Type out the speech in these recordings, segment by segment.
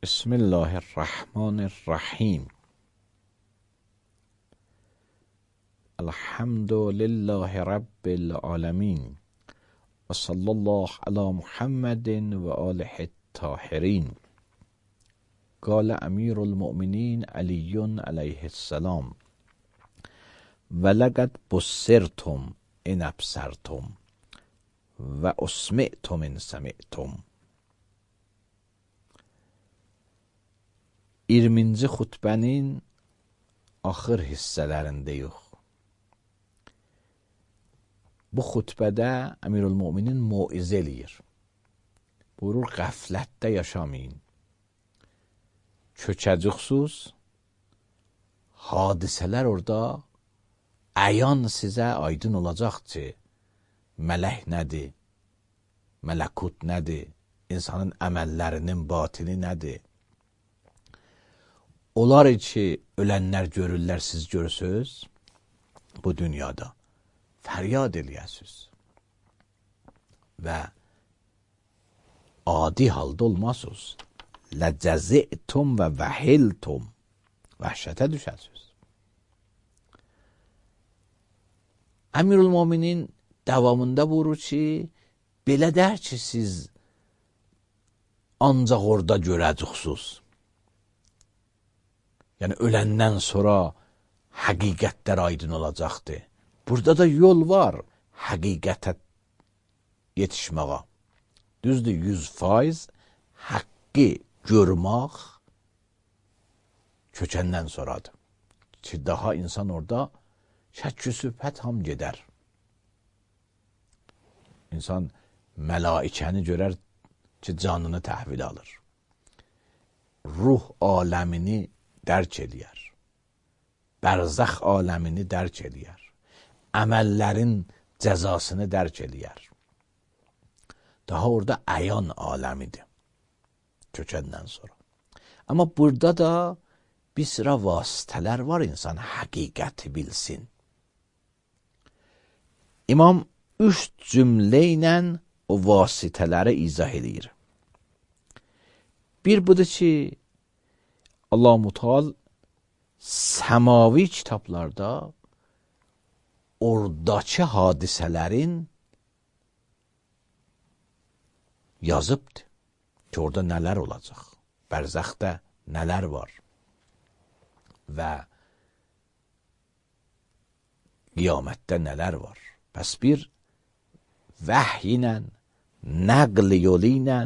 بسم الله الرحمن الرحیم. الحمد لله رب العالمین و صلی الله علی محمد و آله الطاهرین. قال امیر المؤمنین علی علیه السلام: ولقد بصرتم ان ابصرتم و اسمعتم ان سمعتم. 20-ci xutbənin axır hissələrindəyik. Bu xutbədə Əmirülmöminin moizə eləyir. Buyurur, qəflətdə yaşamayın. Çökəcəksiniz, hadisələr orada əyan sizə aydın olacaq ki, mələk nədir, mələkut nədir, insanın əməllərinin batini nədir. Onlar ki, ölənlər görürlər, siz görürsünüz, bu dünyada fəryad eləyəsiniz və adi halda olmazsınız. Ləcəzi'tum və vəhiltum, vəhşətə düşəsiniz. Əmirülmöminin davamında buyurur ki, belə dər ki, siz ancaq orada görəcəksiniz. Yəni, öləndən sonra həqiqətlər aydın olacaqdır. Burada da yol var həqiqətə yetişməyə. Düzdür, 100% haqqı görmək kökəndən sonradır. Ki, daha insan orada şəkk-i sübhət ham gedər. İnsan mələikəni görər ki, canını təhvil alır. Ruh aləmini dərk eləyər. Bərzəx aləmini dərk eləyər. Əməllərin cəzasını dərk eləyər. Daha orada əyan aləmidir. Kökəndən sonra. Amma burada da bir sıra vasitələr var, insan həqiqəti bilsin. İmam 3 cümlə ilə o vasitələri izah edir. Bir budur ki, Allah-u Müteal səmavi kitablarda oradakı hadisələrin yazıbdır ki, orada nələr olacaq, bərzəxdə nələr var və qiyamətdə nələr var. Pəs bir vəhy ilə, nəql yolu ilə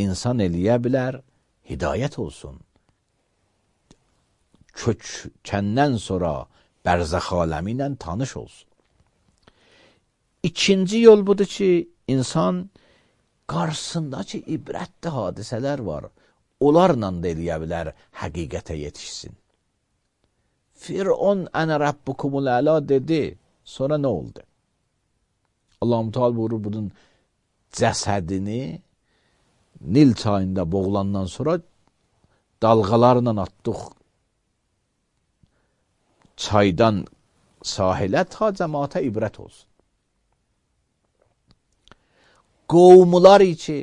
insan eləyə bilər, hidayət olsun. Kökəndən sonra bərzəx aləmi ilə tanış olsun. İkinci yol budur ki, insan qarşısındakı ibrətli hadisələr var. Onlarla da eləyə bilər, həqiqətə yetişsin. Firon ənə rabbukumul əla dedi, sonra nə oldu? Allah-u Teala buyurur, bunun cəsədini Nil çayında boğulandan sonra dalğalarla atdıq çaydan sahilə, ta cəmaata ibrət olsun. Qovmular ki,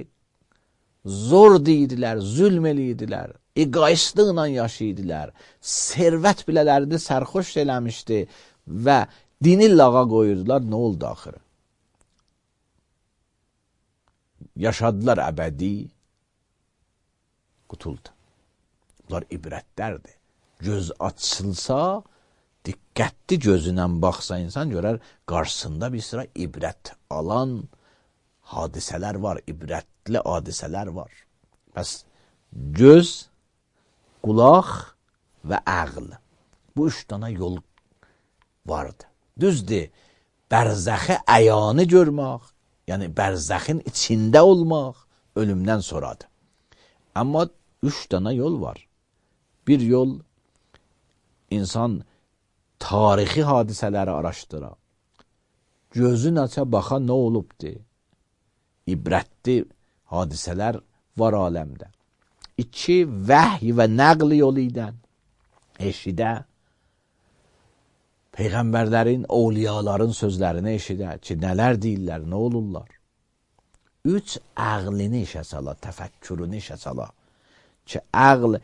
zor deyidilər, zülm eləyidilər, egoistliklə yaşayidilər, servət bilələrində sərxoş eləmişdi və dini lağa qoyurdular, nə oldu axırı? Yaşadılar əbədi, qutuldu. Bunlar ibrətlərdir. Göz açılsa, diqqətli gözünə baxsa insan görər, qarşısında bir sıra ibrət alan hadisələr var, ibrətli hadisələr var. Bəs göz, qulaq və əql. Bu 3 dana yol vardı. Düzdür, bərzəxi əyanı görmək, yəni bərzəxin içində olmaq ölümdən sonradır. Amma 3 dana yol var. Bir yol, insan tarixi hadisələri araşdıra. Gözün aça baxa nə olubdur? İbrətli hadisələr var aləmdə. 2, vəhy və nəql yolu ilə eşidə, peyğəmbərlərin, ovliyaların sözlərini eşidə ki, nələr deyirlər, nə olurlar. 3, əqlini işə sala, təfəkkürünü işə sala ki, əql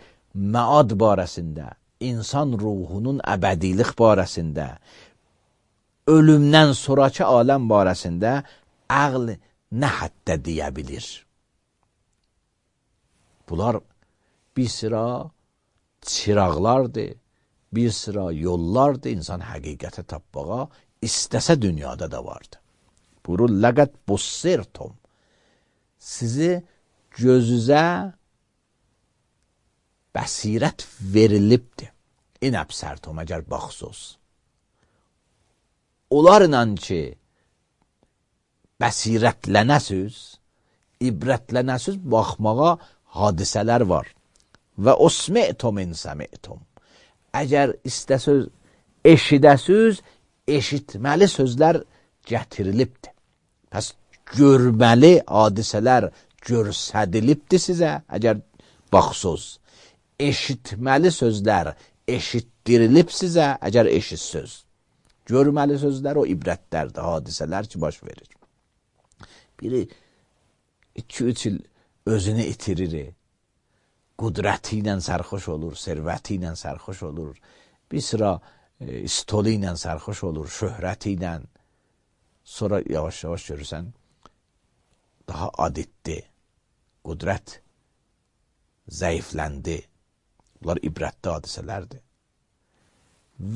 məad barəsində, insan ruhunun əbədilik barəsində, ölümdən sonraki aləm barəsində əql nə həddə deyə bilir? Bunlar bir sıra çıraqlardır, bir sıra yollardır insan həqiqətə tapmağa istəsə dünyada da vardır. Buyurur, ləqət bussirtum. Sizi gözünüzə bəsirət verilibdir. İnəbsərtum, əgər baxsız. Onlarla ki, bəsirətlənəsiz, ibrətlənəsiz baxmağa hadisələr var. Və usmi'tum insəmi'tum. Əgər istəsəz eşidəsiz, eşitməli sözlər gətirilibdir. Pəs görməli hadisələr görsədilibdir sizə, əgər baxsız. Eşitməli sözlər eşitdirilib sizə, əgər eşitsöz. Görməli sözlər o ibrətlərdir, hadisələr ki, baş verir. Biri 2-3 il özünü itirir, qudrəti ilə sərxoş olur, servəti ilə sərxoş olur, bir sıra istolu ilə sərxoş olur, şöhrəti ilə. Sonra yavaş-yavaş görürsən, daha adetdi, qudrət zəifləndi. Bunlar ibrətli hadisələrdir.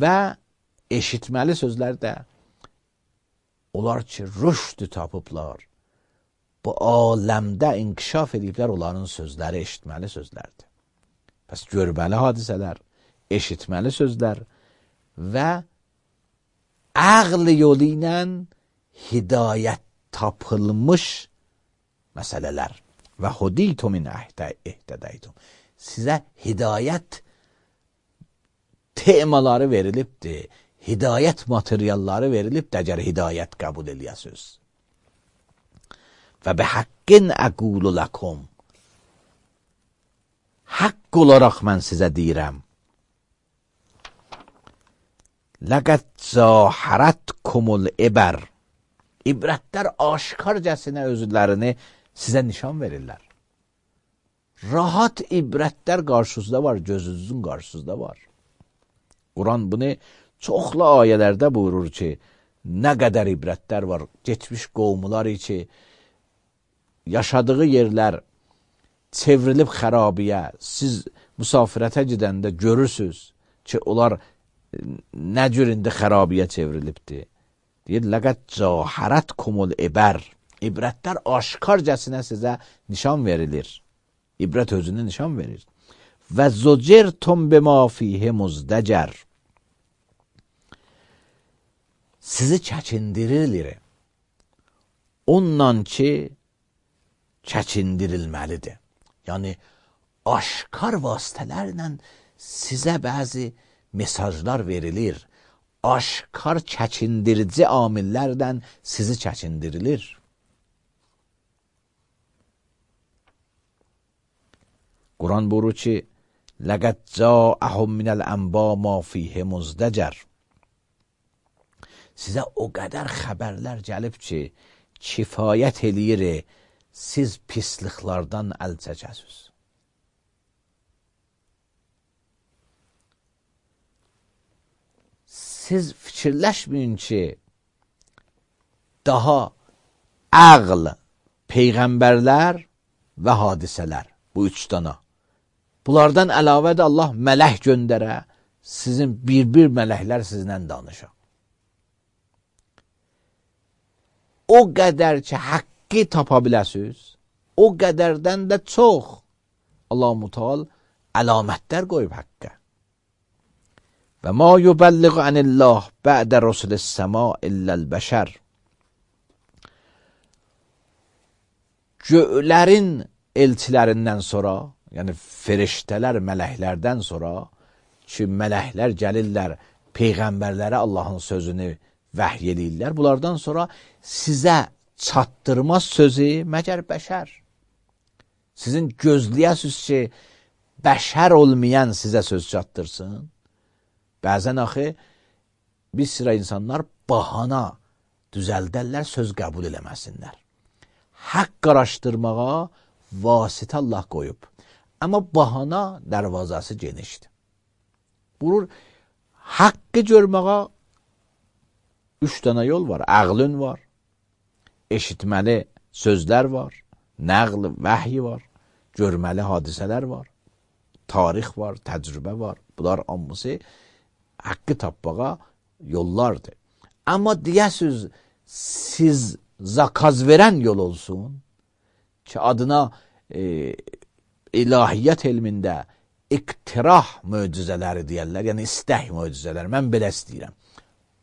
Və eşitməli sözlər də onlar ki, rüşdü tapıblar, bu aləmdə inkişaf ediblər, onların sözləri eşitməli sözlərdir. Pəs görməli hadisələr, eşitməli sözlər və əql yolu ilə hidayət tapılmış məsələlər. Və huditum min ihtədəytum. Sizə hidayət temaları verilibdir, hidayət materialları verilibdir, əgər hidayət qəbul eləyəsiniz. Və bihəqqin əqulu ləkum. Haqq olaraq mən sizə deyirəm. Ləqəd zahərətkumul ibər. İbrətlər aşkarcasına özlərini sizə nişan verirlər. Rahat ibrətlər qarşınızda var, gözünüzün qarşınızda var. Quran bunu çoxlu ayələrdə buyurur ki, nə qədər ibrətlər var, geçmiş qovmular ki, yaşadığı yerlər çevrilib xərabiyə, siz müsafirətə gedəndə görürsünüz ki, onlar nə cür indi xərabiyə çevrilibdir. Deyir, ləqəd cahərətkumul ibər. İbrətlər aşkarcasına sizə nişan verilir. İbrət özünü nişan verir. Və zocirtum bima fihi muzdəcər. Sizi çəkindirirlər. Ondan ki, çəkindirilməlidir. Yəni, aşkar vasitələrlə sizə bəzi mesajlar verilir. Aşkar çəkindirici amillərdən sizi çəkindirilir. Quran buyurur ki, لَقَدْ جَاءَهُمْ مِنَ الْأَنْبَاءِ مَا فِيهِ مُزْدَجَرٌ. Sizə o qədər xəbərlər gəlib ki, kifayət eləyir, siz pisliklərdən əl çəkəsiniz. Siz fikirləşməyin ki, daha əql, peyğəmbərlər və hadisələr, bu 3 dana. Bunlardan əlavə də Allah mələk göndərə, sizin bir mələklər sizinlə danışa. O qədər ki, haqqı tapa biləsiniz, o qədərdən də çox Allah-u Teala əlamətlər qoyub haqqa. Və ma yubəlliğu anillah bə'də rusulis səma illəl bəşər. Göylərin elçilərindən sonra, yəni feriştələr, mələklərdən sonra ki, mələklər gəlirlər, peyğəmbərlərə Allahın sözünü vəhy eləyirlər. Bunlardan sonra sizə çatdırmaz sözü məgər bəşər. Sizin gözləyəsiniz ki, bəşər olmayan sizə söz çatdırsın. Bəzən axı bir sıra insanlar bahana düzəldərlər, söz qəbul eləməsinlər. Haqq araşdırmağa vasitə Allah qoyub. Amma bahana dərvazası genişdir. Vurur, haqqı görməyə 3 dənə yol var. Ağlın var, eşitməli sözlər var, nəql, vəhy var, görməli hadisələr var, tarix var, təcrübə var. Bunlar hamısı haqqı tapmağa yollardır. Amma deyəsiz, siz zakaz verən yol olsun ki, adına ilahiyyat elmində iktirah möcüzələri deyərlər, yəni istək möcüzələri. Mən belə istəyirəm.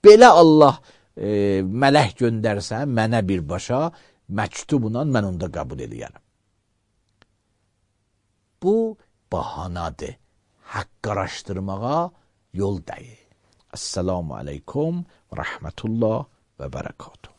Belə Allah mələk göndərsə mənə birbaşa məktubla mən onda qəbul edərəm. Bu bahanadır. Haqq araşdırmağa yol deyil. Esselamu aleykum və rəhmətullah və bərəkatuhu.